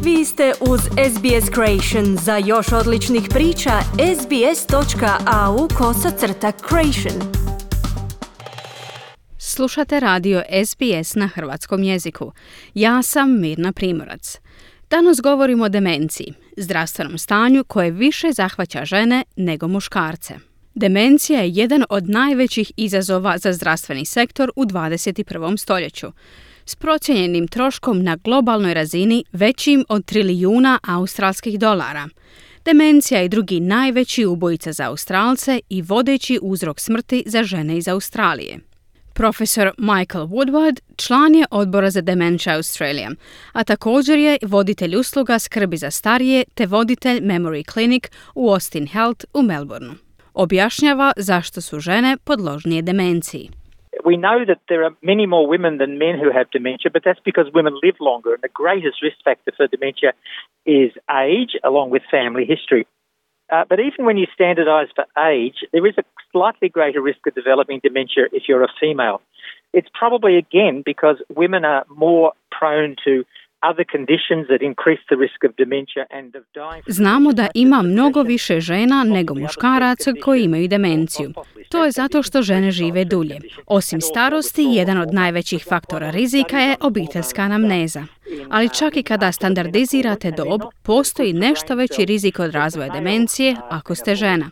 Vi ste uz SBS Creation. Za još odličnih priča, sbs.au/creation. Slušate radio SBS na hrvatskom jeziku. Ja sam Mirna Primorac. Danas govorimo o demenciji, zdravstvenom stanju koje više zahvaća žene nego muškarce. Demencija je jedan od najvećih izazova za zdravstveni sektor u 21. stoljeću, s procijenjenim troškom na globalnoj razini većim od $1 triljon. Demencija je drugi najveći ubojica za Australce i vodeći uzrok smrti za žene iz Australije. Profesor Michael Woodward član je odbora za Dementia Australia, a također je voditelj usluga skrbi za starije te voditelj Memory Clinic u Austin Health u Melbourneu. Objašnjava zašto su žene podložnije demenciji. We know that there are many more women than men who have dementia, but that's because women live longer, and the greatest risk factor for dementia is age, along with family history. But even when you standardise for age, there is a slightly greater risk of developing dementia if you're a female. It's probably, again, because women are more prone to other conditions that increase the risk of dementia and of dying. Znamo da ima mnogo više žena nego muškaraca koji imaju demenciju. To je zato što žene žive dulje. Osim starosti, jedan od najvećih faktora rizika je obiteljska anamneza. Ali čak i kada standardizirate dob, postoji nešto veći rizik od razvoja demencije ako ste žena.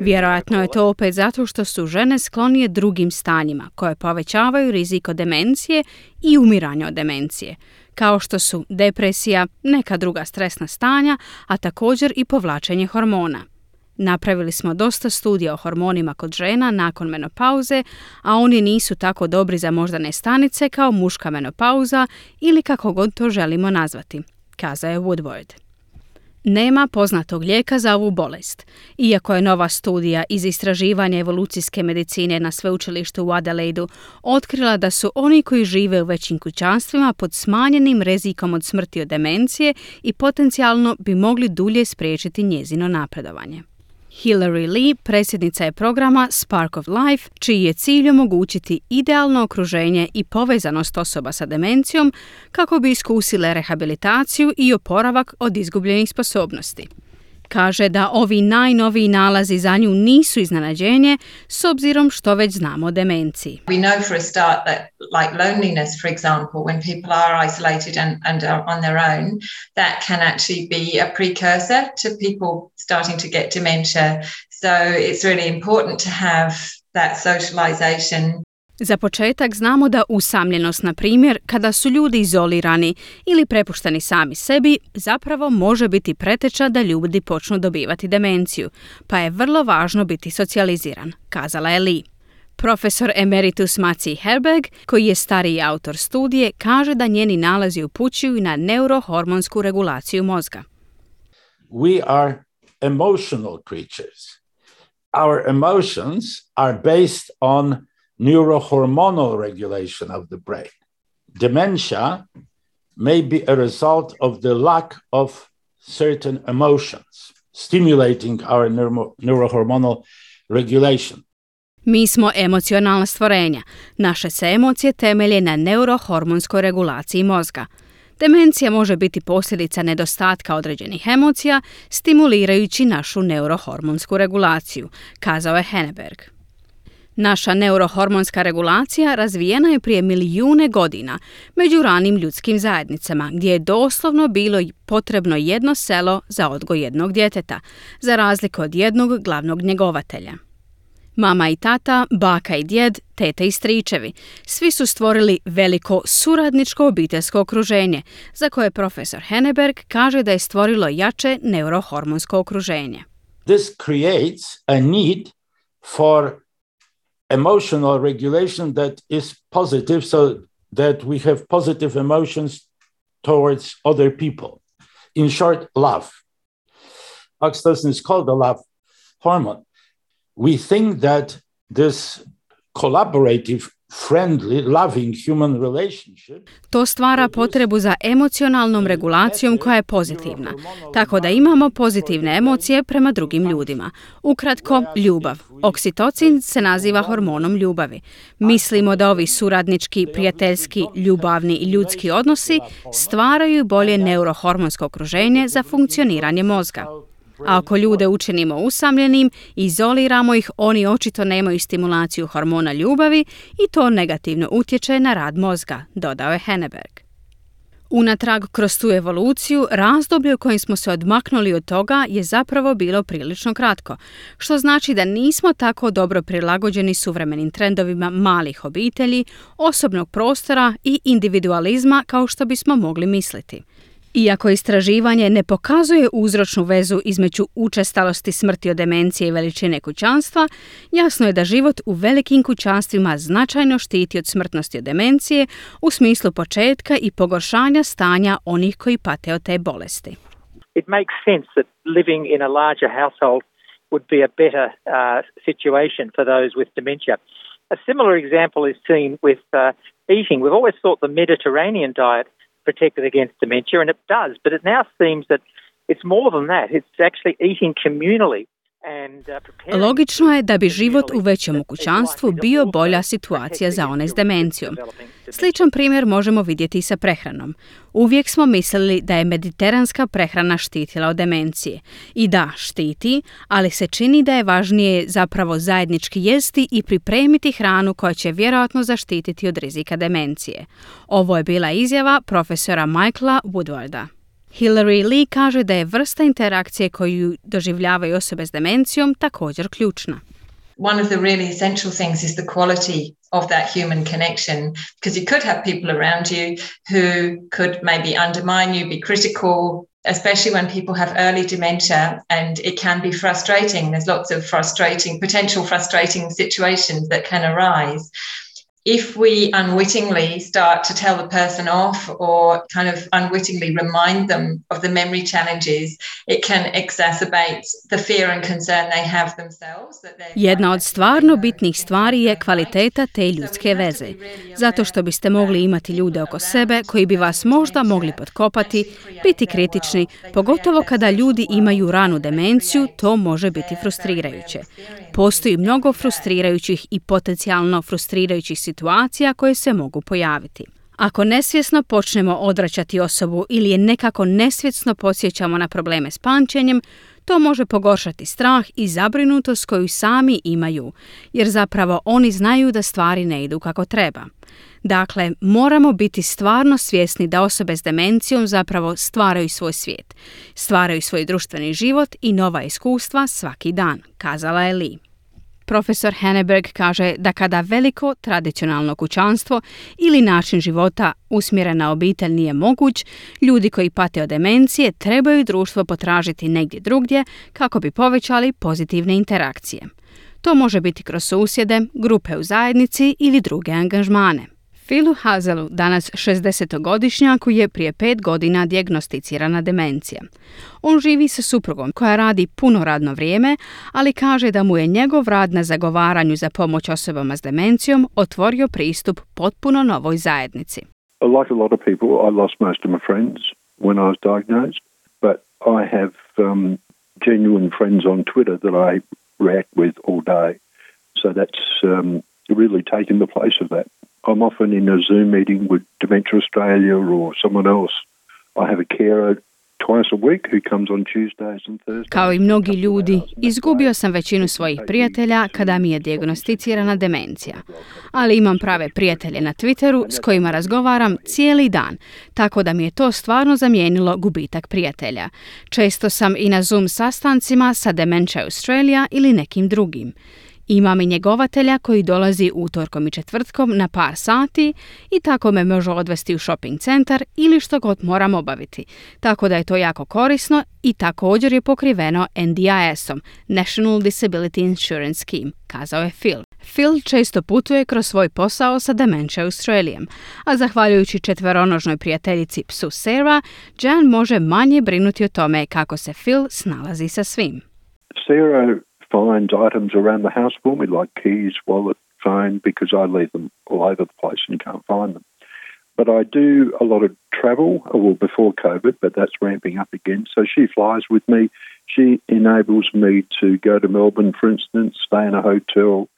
Vjerojatno je to opet zato što su žene sklonije drugim stanjima koje povećavaju rizik od demencije i umiranja od demencije, kao što su depresija, neka druga stresna stanja, a također i povlačenje hormona. Napravili smo dosta studija o hormonima kod žena nakon menopauze, a oni nisu tako dobri za moždane stanice kao muška menopauza ili kako god to želimo nazvati, kazao je Woodward. Nema poznatog lijeka za ovu bolest. Iako je nova studija iz istraživanja evolucijske medicine na sveučilištu u Adelaidu otkrila da su oni koji žive u većim kućanstvima pod smanjenim rizikom od smrti od demencije i potencijalno bi mogli dulje spriječiti njezino napredovanje. Hilary Lee predsjednica je programa Spark of Life, čiji je cilj omogućiti idealno okruženje i povezanost osoba sa demencijom kako bi iskusile rehabilitaciju i oporavak od izgubljenih sposobnosti. Kaže da ovi najnoviji nalazi za nju nisu iznenađenje s obzirom što već znamo o demenciji. We know for a start that like loneliness, for example, when people are isolated and are on their own, that can actually be a precursor to people starting to get dementia. So it's really important to have that socialization. Za početak znamo da usamljenost, na primjer, kada su ljudi izolirani ili prepušteni sami sebi, zapravo može biti preteča da ljudi počnu dobivati demenciju, pa je vrlo važno biti socijaliziran, kazala je Lee. Profesor emeritus Maciej Herberg, koji je stariji autor studije, kaže da njeni nalazi upućuju na neurohormonsku regulaciju mozga. We are emotional creatures. Our emotions are based on neurohormonal regulation of the brain. Dementia may be a result of the lack of certain emotions, stimulating our neurohormonal regulation. Mi smo emocionalna stvorenja. Naše se emocije temelje na neurohormonskoj regulaciji mozga. Demencija može biti posljedica nedostatka određenih emocija, stimulirajući našu neurohormonsku regulaciju, kazao je Henneberg. Naša neurohormonska regulacija razvijena je prije milijune godina među ranim ljudskim zajednicama, gdje je doslovno bilo potrebno jedno selo za odgoj jednog djeteta, za razliku od jednog glavnog njegovatelja. Mama i tata, baka i djed, tete i stričevi, svi su stvorili veliko suradničko obiteljsko okruženje, za koje profesor Henneberg kaže da je stvorilo jače neurohormonsko okruženje. This creates a need for emotional regulation that is positive, so that we have positive emotions towards other people. In short, love. Oxytocin is called the love hormone. We think that this collaborative, friendly, loving human relationship. To stvara potrebu za emocionalnom regulacijom koja je pozitivna, tako da imamo pozitivne emocije prema drugim ljudima. Ukratko, ljubav. Oksitocin se naziva hormonom ljubavi. Mislimo da ovi suradnički, prijateljski, ljubavni i ljudski odnosi stvaraju bolje neurohormonsko okruženje za funkcioniranje mozga. A ako ljude učinimo usamljenim, izoliramo ih, oni očito nemaju stimulaciju hormona ljubavi i to negativno utječe na rad mozga, dodao je Henneberg. Unatrag kroz tu evoluciju, razdoblje u kojem smo se odmaknuli od toga je zapravo bilo prilično kratko, što znači da nismo tako dobro prilagođeni suvremenim trendovima malih obitelji, osobnog prostora i individualizma kao što bismo mogli misliti. Iako istraživanje ne pokazuje uzročnu vezu između učestalosti smrti od demencije i veličine kućanstva, jasno je da život u velikim kućanstvima značajno štiti od smrtnosti od demencije u smislu početka i pogoršanja stanja onih koji pate od te bolesti. It makes sense that living in a larger household would be a better situation for those with dementia. A similar example is seen with eating. We've always thought the Mediterranean diet protected against dementia, and it does, but it now seems that it's more than that. It's actually eating communally. Logično je da bi život u većem kućanstvu bio bolja situacija za one s demencijom. Sličan primjer možemo vidjeti i sa prehranom. Uvijek smo mislili da je mediteranska prehrana štitila od demencije. I da, štiti, ali se čini da je važnije zapravo zajednički jesti i pripremiti hranu koja će vjerojatno zaštititi od rizika demencije. Ovo je bila izjava profesora Michaela Woodwarda. Hilary Lee kaže da je vrsta interakcije koju doživljavaju osobe s demencijom također ključna. One of the really essential things is the quality of that human connection, because you could have people around you who could maybe undermine you, be critical, especially when people have early dementia, and it can be frustrating. There's lots of potential frustrating situations that can arise. If we unwittingly start to tell the person off or kind of unwittingly remind them of the memory challenges, it can exacerbate the fear and concern they have themselves. Jedna od stvarno bitnih stvari je kvaliteta te ljudske veze. Zato što biste mogli imati ljude oko sebe koji bi vas možda mogli potkopati, biti kritični, pogotovo kada ljudi imaju ranu demenciju, to može biti frustrirajuće. Postoji mnogo frustrirajućih i potencijalno frustrirajućih situacija koje se mogu pojaviti. Ako nesvjesno počnemo odvraćati osobu ili je nekako nesvjesno podsjećamo na probleme s pamćenjem, to može pogoršati strah i zabrinutost koju sami imaju, jer zapravo oni znaju da stvari ne idu kako treba. Dakle, moramo biti stvarno svjesni da osobe s demencijom zapravo stvaraju svoj svijet, stvaraju svoj društveni život i nova iskustva svaki dan, kazala je Lee. Profesor Henneberg kaže da kada veliko tradicionalno kućanstvo ili način života usmjeren na obitelj nije moguć, ljudi koji pate od demencije trebaju društvo potražiti negdje drugdje kako bi povećali pozitivne interakcije. To može biti kroz susjede, grupe u zajednici ili druge angažmane. Philu Hazelu, danas 60-godišnjaku, je prije 5 godina dijagnosticirana demencija. On živi sa suprugom koja radi puno radno vrijeme, ali kaže da mu je njegov rad na zagovaranju za pomoć osobama s demencijom otvorio pristup potpuno novoj zajednici. Like a lot of people, I lost most of my friends when I was diagnosed, but I have genuine friends on Twitter that I react with all day. So that's really taken the place of that. I'm often in a Zoom meeting with Dementia Australia or someone else. I have a carer twice a week who comes on Tuesdays and Thursdays. Kao i mnogi ljudi, izgubio sam većinu svojih prijatelja kada mi je dijagnosticirana demencija. Ali imam prave prijatelje na Twitteru s kojima razgovaram cijeli dan, tako da mi je to stvarno zamijenilo gubitak prijatelja. Često sam i na Zoom sastancima sa Dementia Australia ili nekim drugim. Imam i njegovatelja koji dolazi utorkom i četvrtkom na par sati i tako me može odvesti u shopping centar ili što god moram obaviti. Tako da je to jako korisno i također je pokriveno NDIS-om, National Disability Insurance Scheme, kazao je Phil. Phil često putuje kroz svoj posao sa Dementia Australiom, a zahvaljujući četveronožnoj prijateljici psu Sarah, Jan može manje brinuti o tome kako se Phil snalazi sa svim. Sarah finds items around the house for me, like keys, wallet, phone because I leave them all over the place and you can't find them. But I do a lot of travel, well, before COVID, but that's ramping up again. So she flies with me. She enables me to go to Melbourne, for instance, stay in a hotel.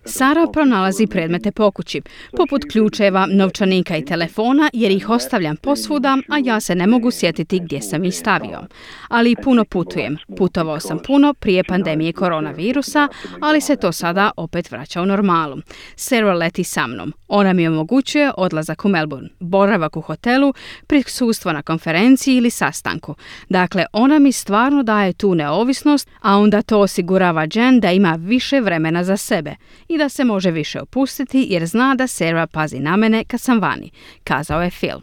Sara pronalazi predmete po kući, poput ključeva, novčanika i telefona, jer ih ostavljam posvuda, a ja se ne mogu sjetiti gdje sam ih stavio. Ali puno putujem. Putovao sam puno prije pandemije koronavirusa, ali se to sada opet vraća u normalu. Sarah leti sa mnom. Ona mi omogućuje odlazak u Melbourne, boravak u hotelu, prisustvo na konferenciji ili sastanku. Dakle, ona mi stvarno daje tu neovisnost, a onda to osigurava Jen da ima više vremena za sebe i da se može više opustiti jer zna da Sarah pazi na mene kad sam vani, kazao je Phil.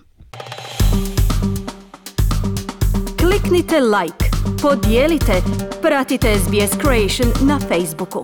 Kliknite like, podijelite, pratite SBS Creation na Facebooku.